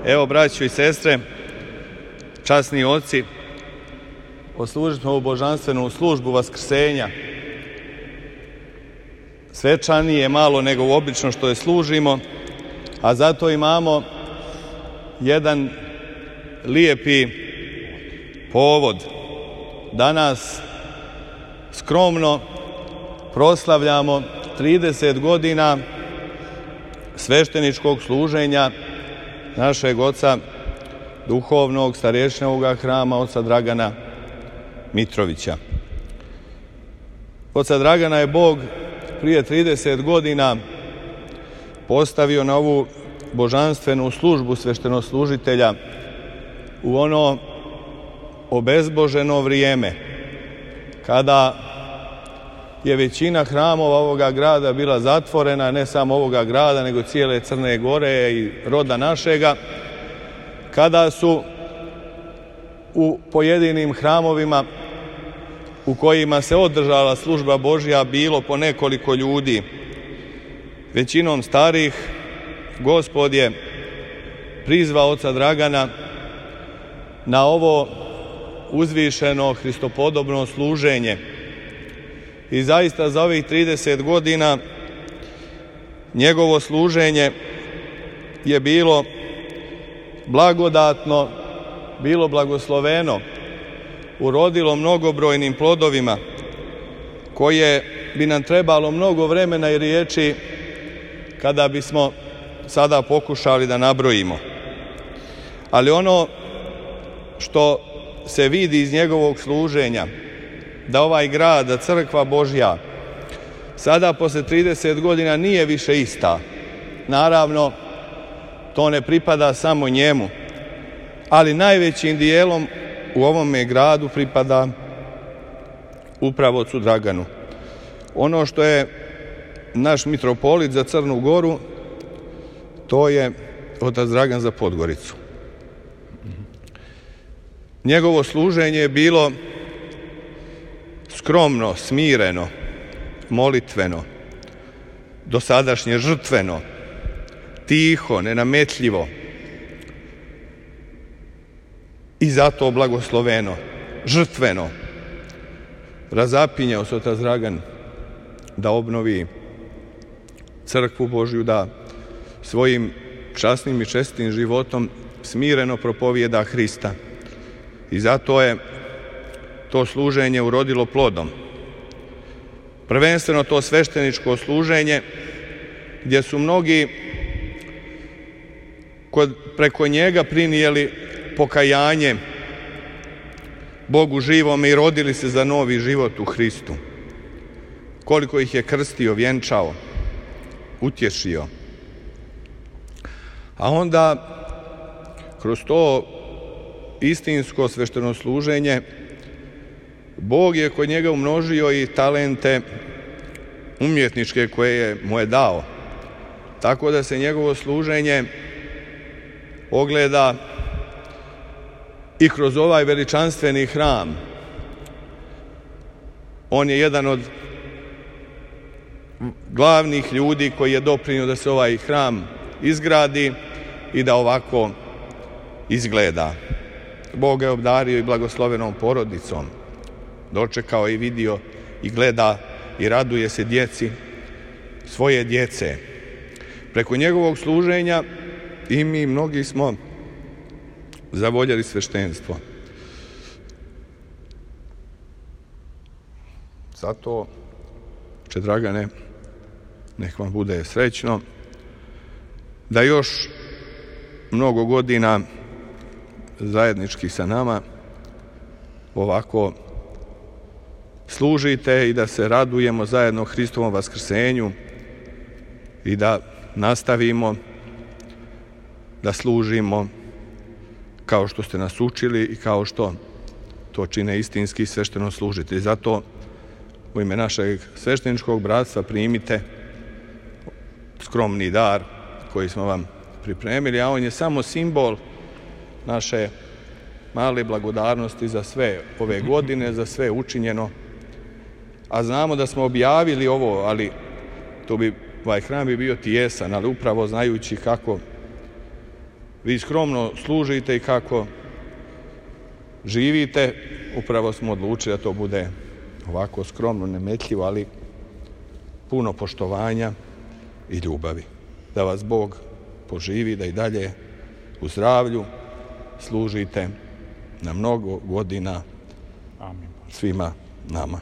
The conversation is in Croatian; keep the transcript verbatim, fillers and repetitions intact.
Evo, braćo i sestre, časni oci, odslužili smo ovu božanstvenu službu vaskrsenja. Svečanije malo nego obično što je služimo, a zato imamo jedan lijepi povod. Danas skromno proslavljamo trideset godina svešteničkog služenja našeg oca duhovnog starješine ovoga hrama, oca Dragana Mitrovića. Oca Dragana je Bog prije trideset godina postavio na ovu božanstvenu službu sveštenoslužitelja u ono obezboženo vrijeme, kada je većina hramova ovoga grada bila zatvorena, ne samo ovoga grada, nego cijele Crne Gore i roda našega, kada su u pojedinim hramovima u kojima se održala služba Božja bilo po nekoliko ljudi, većinom starih, Gospod je prizvao oca Dragana na ovo uzvišeno hristopodobno služenje. I zaista za ovih trideset godina njegovo služenje je bilo blagodatno, bilo blagosloveno, urodilo mnogobrojnim plodovima koje bi nam trebalo mnogo vremena i riječi kada bismo sada pokušali da nabrojimo. Ali ono što se vidi iz njegovog služenja, da ovaj grad, da crkva Božja sada posle trideset godina nije više ista. Naravno, to ne pripada samo njemu, ali najvećim dijelom u ovome gradu pripada upravo ocu Draganu. Ono što je naš mitropolit za Crnu Goru, to je otac Dragan za Podgoricu. Njegovo služenje je bilo skromno, smireno, molitveno, dosadašnje žrtveno, tiho, nenametljivo i zato blagosloveno, žrtveno. Razapinjao se otac Dragan da obnovi crkvu Božju, da svojim časnim i čestitim životom smireno propovijeda Hrista. I zato je to služenje urodilo plodom. Prvenstveno to svešteničko služenje, gdje su mnogi kod, preko njega prinijeli pokajanje Bogu živome i rodili se za novi život u Hristu. Koliko ih je krstio, vjenčao, utješio. A onda kroz to istinsko svešteno služenje Bog je kod njega umnožio i talente umjetničke koje je mu je dao. Tako da se njegovo služenje ogleda i kroz ovaj veličanstveni hram. On je jedan od glavnih ljudi koji je doprinio da se ovaj hram izgradi i da ovako izgleda. Bog je obdario i blagoslovenom porodicom. Dočekao i vidio i gleda i raduje se djeci svoje djece. Preko njegovog služenja i mi mnogi smo zavoljeli sveštenstvo. Zato, Oče Dragane, nek vam bude srećno da još mnogo godina zajednički sa nama ovako služite i da se radujemo zajedno Hristovom vaskrsenju i da nastavimo da služimo kao što ste nas učili i kao što to čine istinski svešteno služitelji. Zato u ime našeg svešteničkog bratstva primite skromni dar koji smo vam pripremili, a on je samo simbol naše male blagodarnosti za sve ove godine, za sve učinjeno. A znamo da smo objavili ovo, ali to bi, ovaj hram bi bio tijesan, ali upravo znajući kako vi skromno služite i kako živite. Upravo smo odlučili da to bude ovako skromno, nemetljivo, ali puno poštovanja i ljubavi. Da vas Bog poživi, da i dalje u zdravlju služite na mnogo godina svima nama.